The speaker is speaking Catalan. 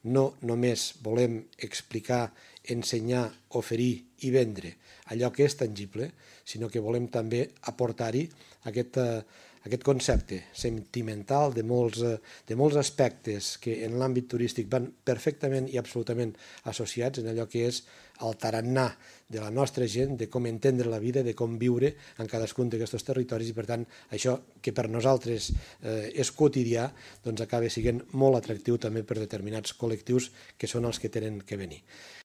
no només volem explicar, ensenyar, oferir i vendre allò que és tangible, sinó que volem també aportar-hi aquest concepte sentimental de molts aspectes que en l'àmbit turístic van perfectament i absolutament associats en allò que és el tarannà de la nostra gent, de com entendre la vida, de com viure en cadascun d'aquests territoris, i per tant això que per nosaltres és quotidià doncs acaba sent molt atractiu també per determinats col·lectius que són els que tenen que venir.